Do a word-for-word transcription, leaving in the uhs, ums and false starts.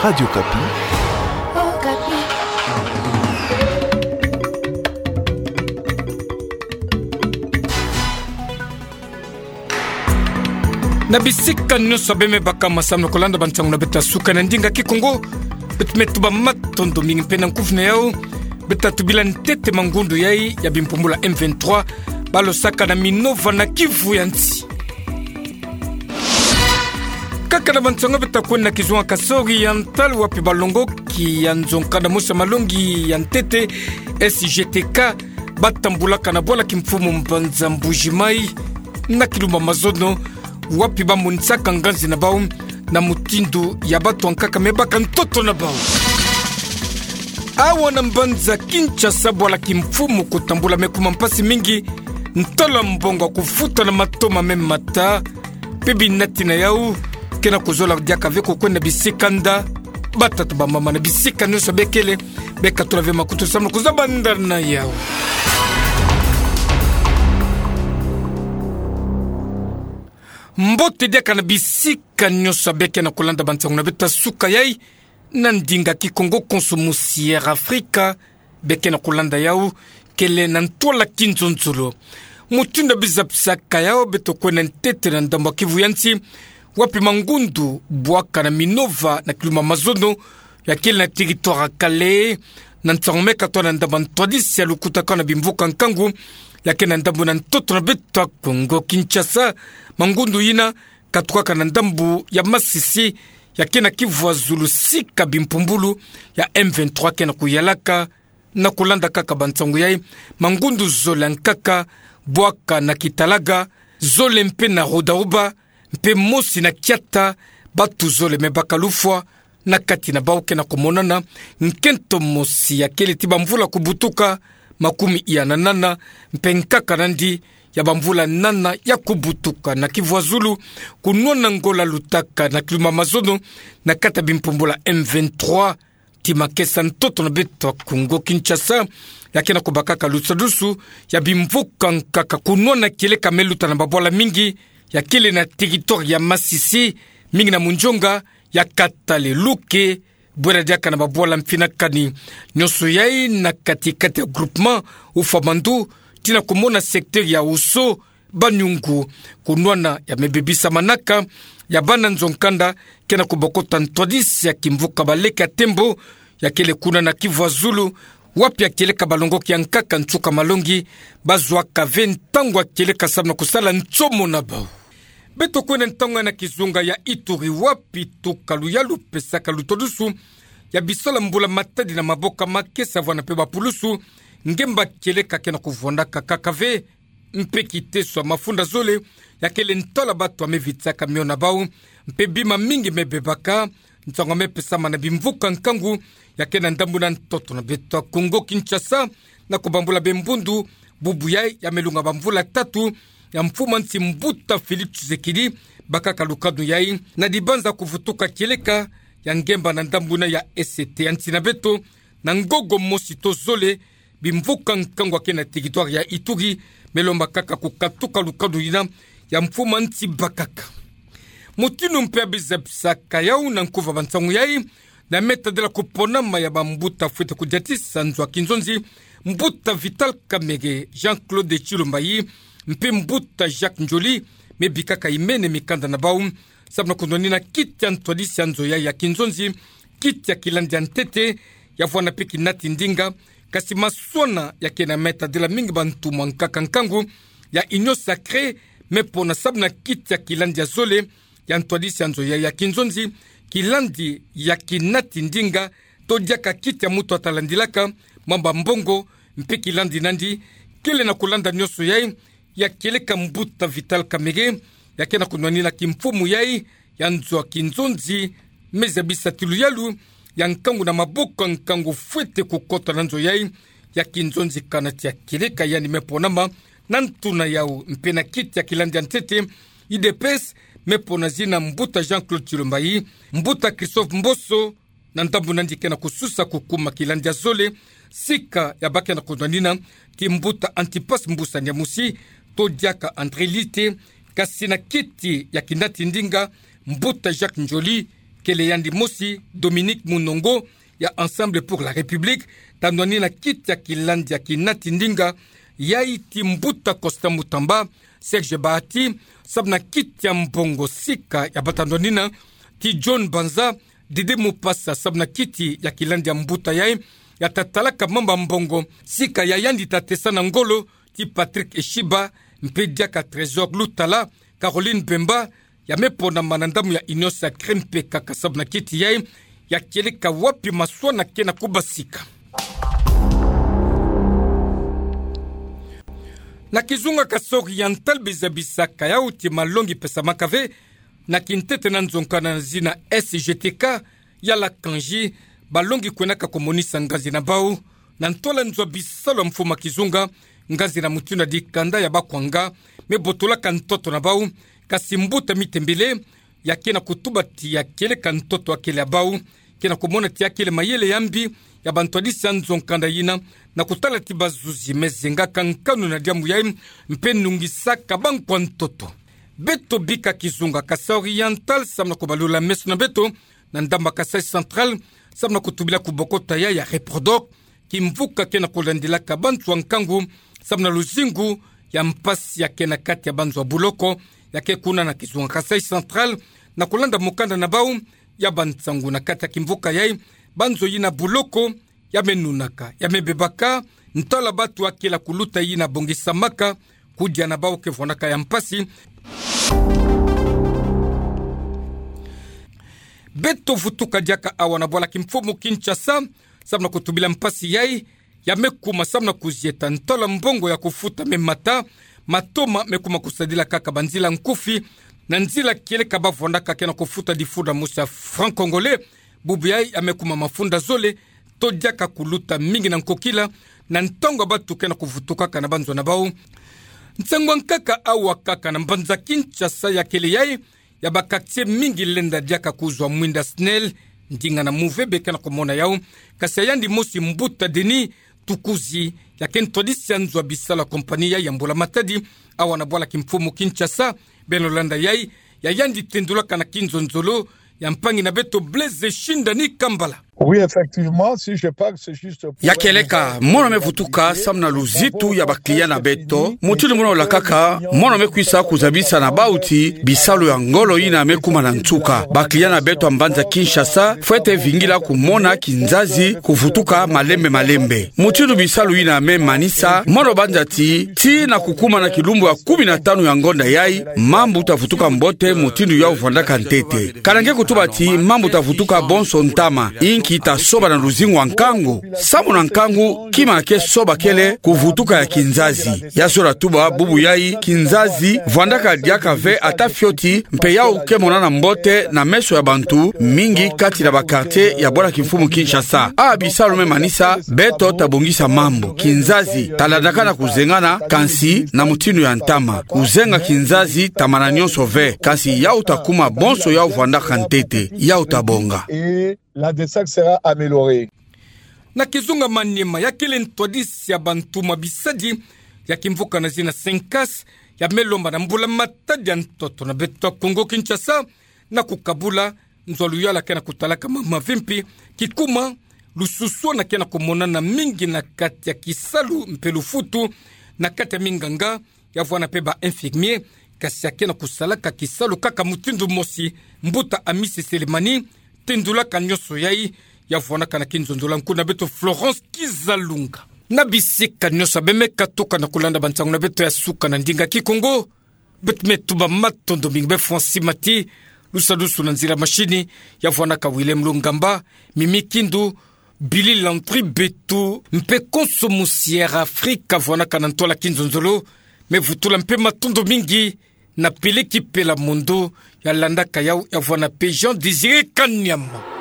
Radio Okapi. Na bisika nyonso abe me baka, masamna kolanda bansangu na beta suka na ndinga Kikongo. Beto me tuba matondo mingi mpe na nkufi na yau. Beta tubila ntete mangundu yai ya bimpumbulu ya M vingt-trois, balo saka na Minova na Kivu ya nsi. Kaka na bansangu beta kwenda kizunga kasori ya ntalu wapi balongoki ya nzo nkanda mosi ya malongi ya ntete, S G T K, batambulaka na bwala kimfumu mbanza Mbuji-Mayi, na Kilumba Mazono, wapi bamonisaka nganzi na bau na mutindu ya bato ya nkaka me baka ntoto na bau. Awa na mbanza Kinshasa, bwala kimfumu kutambula me kuma mpasi mingi, ntalu ya mbongo kufuta na matoma me mata, mpe binati na yau ke na kuzola diaka ve kukwenda bisika nda. Batata, bamama, na bisika nyonso bekele, bekatula ve makutu samu na kuzabanda na yau. Mbote diaka na bisika nyonso beke na kulanda bansangu na beta suka yai, na ndinga Kikongo konso musi Air Afrika, beke na kulanda yau, kele na ntwala kinzonzolo. Mutindu biza bisaka yau, beto kwenda ntete na ndambu ya Kivu ya nsi, wapi mangundu bwaka na Minova na Kilumba Mazono, ya kele na territoire ya Kalehe, na nsangu me katwa na ndambu ya ntwadisi ya lukutakano na bimvuka nkangu, ya ke na ndambu na ntoto na beta Kongo Kinshasa. Mangundu yina katukaka na ndambu ya Masisi, ya ke na Kivu ya zulu, sika bimpumbulu ya M vingt-trois ke na kuyalaka. Na kulanda kaka bansangu yai, mangundu zole ya nkaka bwaka na Kitalaga, zole mpe na Rudahuba, mpe mosi na Kiata, bato zole me baka lufwa na kati na bau. Ke na kumonana nkento mosi ya kele ti bamvula kubutuka, makumi ya nana, mpe nkaka nandi ya bamvula nana ya kubutuka na Kivu ya zulu, kunwana ngola lutaka na Kilumba Mazono, na kati ya bimpumbulu ya M vingt-trois. Ti makesa ntoto na beta Kongo Kinshasa, ya ke na kubakaka lusadusu ya bimvuka nkaka, kunwana kieleka me luta na babwala mingi, ya kele na territoire ya Masisi, mingi na Mondjonga, ya Katale, Luke, bwera diaka na babwala mfinakani. Nyonso yai na kati-kati ya groupement Ufamandu, ti na kumona secteur ya Oso, Banyungu, kunwana ya me bebisamanaka, ya bana nzo nkanda, ke na kubokota ntwadisi ya kimvuka baleke ya tembo, ya kele kuna na Kivu ya zulu, wapi ya kieleka balongoki ya nkaka nsuka malongi, bazwaka ve ntangu ya kieleka samu na kusala nsomo na bau. Beto kwenda ntangu na kizunga ya Ituri, wapi tuka luyalu pesaka lutodusu ya bisola mbula matadi na maboka makesa, vwanda mpe bapulusu, ngemba kieleka ke na kuvwandaka kaka ve, mpe kiteso ya mafunda zole, ya kele ntwala bato ya me vitsaka mio na bau, mpe bima mingi me bebaka, nsangu me pesama na bimvuka nkangu, ya ke na ndambu na ntoto na beta Kongo Kinshasa, na kubambula bembundu, bubu yai ya me lunga bamvula tatu ya mfumu ya nsi mbuta Félix Tshisekedi, bakaka lukanu yai na dibanza kuvutuka kieleka ya ngemba na ndambu na ya ese ya nsi na beto, na ngogo mosi to zole, bimvuka nkangu ya ke na territoire ya Ituri, me lomba kaka kukatuka lukanu yina ya mfumu ya nsi bakaka. Mutindu mpe biza bisaka yau na nkufi ya bansangu yai, na me tadila kuponama ya bambuta fwete kudiatisa nzo ya kinzonzi, mbuta Vital Kamerhe, Jean-Claude Tshilombayi, mpe mbuta Jacques Ndjoli, me bikaka imene mikanda na bau, samu na kunwanina kiti ya ntwadisi ya nzo yai ya kinzonzi, kiti ya kilandi ya ntete, ya vwanda mpe kinati ndinga, kasi maswana ya ke na me tadila mingi bantumwa nkaka nkangu ya union sacrée, me pona samu na kiti ya kilandi ya zole ya ntwadisi ya nzo yai ya kinzonzi, kilandi ya kinati ndinga, to diaka kiti ya mutu atalandilaka mamba mbongo, mpe kilandi nandi, kele na kulanda nyonso yai, ya kieleka mbuta Vital Kamerhe, ya ke na kunwanina kimfumu yai ya nzo ya kinzonzi, me zabisa ti luyalu ya nkangu na maboko ya nkangu fwete kukota na nzo yai ya kinzonzi kana ti ya kieleka, yandi me ponama na ntu na yau mpe na kiti ya kilandi ya ntete, U D P S, me pona zina mbuta Jean-Claude Tshilombayi, mbuta Christophe Mboso, na ndambu nandi ke na kususa kukuma kilandi ya zole, sika ya ba ke na kunwanina ti mbuta Antipas Mbusa Nyamusi, to diaka André Lite, kasi na kiti ya kinati ndinga, mbuta Jacques Ndjoli, kele yandi mosi Dominique Munongo ya Ensemble pour la République, ta nwani na kiti ya kilandi ya kinati ndinga, yai ti mbuta Constant Mutamba, Serge Bahati, samu na kiti ya mbongo sika ya bata ndwanina, ti John Banza, Didi Mupasa, samu na kiti ya kilandi ya mbuta yai ya tatalaka mambu ya mbongo sika ya yandi ta tesa na ngolo, ti Patrick Eshiba, mpe diaka Trésor Lutala, Caroline Bemba, ya me ponama na ndambu ya Union Sacrée mpe kaka samu na kiti yai, ya kieleka wapi maswana ke na kubasika. Na kizunga Kasaï Oriental, bizabisaka yau ti malongi pesamaka ve na kintete na nzo nkanda na zina S G T K, ya la Kanji, balongi kwenaka kumonisa nganzi na bau na ntola nzwa bisalu ya mfumu kizunga, nganzi na mutindu ya dikanda ya bakwanga me botolaka ntoto na bau. Kasi mbuta Mitembele, ya ke na kutuba ti ya kieleka ntoto ya kele ya bau, ke na kumona ti ya kele mayele ya mbi ya bantwadisi ya nzo nkanda yina, na kutala ti bazuzi me zengaka nkanu na diambu yai, mpe nungisaka bankwa ntoto. Beto bika kizunga Kasaï Oriental, samu na kubalula meso na beto na ndambu ya Kasaï Central, samu na kutubila kubokota yai ya Reprodoc, kimvuka ke na kulandilaka banzo ya nkangu samu na luzingu ya mpasi ya ke na kati ya banzo ya buloko, ya ke kuna na kizunga Kasaï Central, na kulanda mukanda na bau ya bansangu na kati ya kimvuka yai, banzo yina buloko ya me nunaka, ya me bebaka, ntola batu ya kela kuluta yina bongisamaka, kudia na bau ke vwandaka ya mpasi. Beto vutuka diaka awa na bwala kimfumu Kinshasa, samu na kutubila mpasi yai ya me kuma samu na kuzieta ntola mbongo ya kufuta me mata, matoma me kuma kusadila kaka banzila nkufi, na nzila kieleka bavwandaka ke na kufuta difunda mosi ya franc congolais, bubu yai ya me kuma mafunda zole, to diaka kuluta mingi na nkokila, na ntangu ya batu ke na kuvutukaka na banzo na bau. Nsangu ya nkaka awa kaka na mbanza Kinshasa ya kele yai, ya ba quartier mingi lenda diaka kuzwa mwinda SNEL, ndinga na muvebe ke na kumona yau, kasi ya yandi mosi mbuta Denis Tukuzi, ya ke ntwadisi ya nzo ya bisalu ya compagnie yai ya mbula matadi, awa na bwala kimfumu Kinshasa, beno landa yai, ya yandi tendulaka na kinzonzolo ya mpangi na beto Blaise Shindani Kambala. Oui, effectivement, si je parle, c'est juste pour... Ya kieleka, mono me vutuka samu na luzitu ya ba client na beto, mutindu mono lakaka, mono me kwisa kuzabisa na bau ti bisalu ya ngolo yina me kuma na nsuka. Ba client na beto ya mbanza Kinshasa, fwete vingila kumona kinzazi kuvutuka malembe malembe. Mutindu bisalu yina me manisa, mono banza ti, tii na kukuma na kilumbu ya kumi na tanu ya ngonda yai, mambu ta vutuka mbote mutindu yau vwandaka ntete. Ka na nge kutuba ti mambu ta vutuka bonso ntama, inki ta soba na luzingu ya nkangu? Samu na nkangu, kima ke soba kele kuvutuka ya kinzazi. Ya zola tuba bubu yai, kinzazi vwandaka diaka ve ata fioti, mpe yau ke monana mbote na meso ya bantu mingi kati na ba quartier ya bwala kimfumu Kinshasa. A bisalu me manisa, beto ta bongisa mambu. Kinzazi ta landaka na kuzengana, kansi na mutindu ya ntama. Kuzenga kinzazi ta mana nyonso ve, kansi yau ta kuma bonso yau vwandaka ntete, yau ta bonga. Et la desserte sera améliorée. Na kizunga Maniema, ya kele ntwadisi ya bantu ma bisadi ya kimvuka na zina Sencas, ya me lomba na mbula matadi ya ntoto na beto ya Kongo Kinshasa, na kukabula nzo ya luyala ke na kutalaka mama vimpi, kikuma lususwana ke na kumonana mingi na kati ya kisalu mpe lufutu, na kati ya minganga, ya vwana mpe ba infirmier, kasi ya ke na kusalaka kisalu kaka mutindu mosi. Mbuta Amisi Selemani tendulaka nyonso yai, ya vwanaka na kinzonzolo ya nkuna beto Florence Kizalunga. Na bisika nyonso abe me katuka na kulanda bansangu na beto ya suka na ndinga Kikongo, beto me tuba matondo mingi be Francis Mati, lusadusu na nzila mashini, ya vwanaka Willem Lungamba, Mimi Kindu, Billy Landry Betu, mpe konso musi Air Afrika vwanaka na ntola kinzonzolo, me vutula mpe matondo mingi na Peleki Pela Mondo, ya landaka yau, ya vwana mpe Jean Désiré Kanyama.